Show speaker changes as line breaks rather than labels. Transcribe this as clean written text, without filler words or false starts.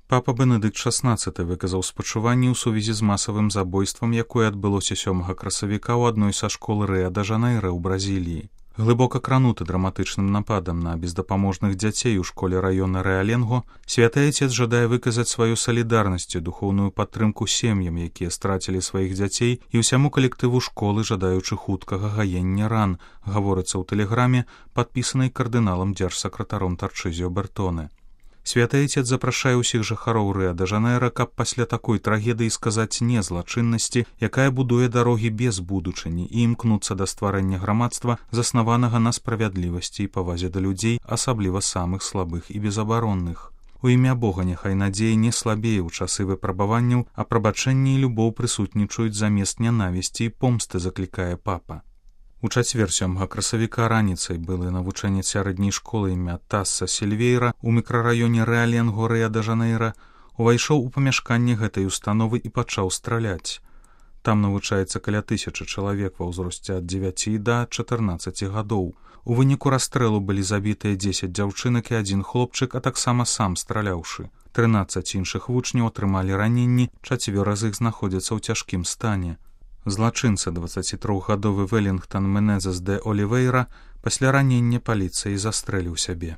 Папа Бенедыкт XVI выказаў спачуванні ў сувязі з масавым забойствам, якое адбылося 7 красавіка ў адной са школ Рыа-де-Жанейра ў Бразіліі. Глыбока крануты драматычным нападам на бездапаможных дзяцей у школе раёна Рэаленго, святы айцец жадае выказаць сваю салідарнасць і духоўную падтрымку сем'ям, якія страцілі сваіх дзяцей, і ўсяму калектыву школы, жадаючы хуткага гаення ран, гаворыцца ў тэлеграме, падпісанай кардыналам дзяржсакратаром Тарчызіо Бертоне. Святы айцец запрашае ўсіх жыхароў Рыа-де-Жанейра, каб пасля такой трагедыі сказаць не злачыннасці, якая будуе дарогі без будучыні, і імкнуцца да стварэння грамадства, заснаванага на справядлівасці і павазе да людзей, асабліва самых слабых і безабаронных. У імя Бога няхай надзея не слабее ў часы выпрабаванняў, а прабачэнне і любоў прысутнічаюць замест нянавісці і помсты, заклікае папа. У чацвер 7 красавіка раніцай былы навучэнец сярэдняй школы імя Тасса Сільвейра ў мікрараёне Рэаленго Рыа-де-Жанейра увайшоў у памяшканне гэтай установы і пачаў страляць. Там навучаецца каля 1000 чалавек ва ўзросце ад 9 да 14 гадоў. У выніку расстрэлу былі забітыя 10 дзяўчынак і 1 хлопчык, а таксама сам страляўшы. 13 іншых вучняў атрымалі раненні, 4 з іх знаходзяцца ў цяжкім стане. Злачынца 23-гадовы Велінгтон Менезес де Олівейра пасля ранення паліцыі застрэліў сябе.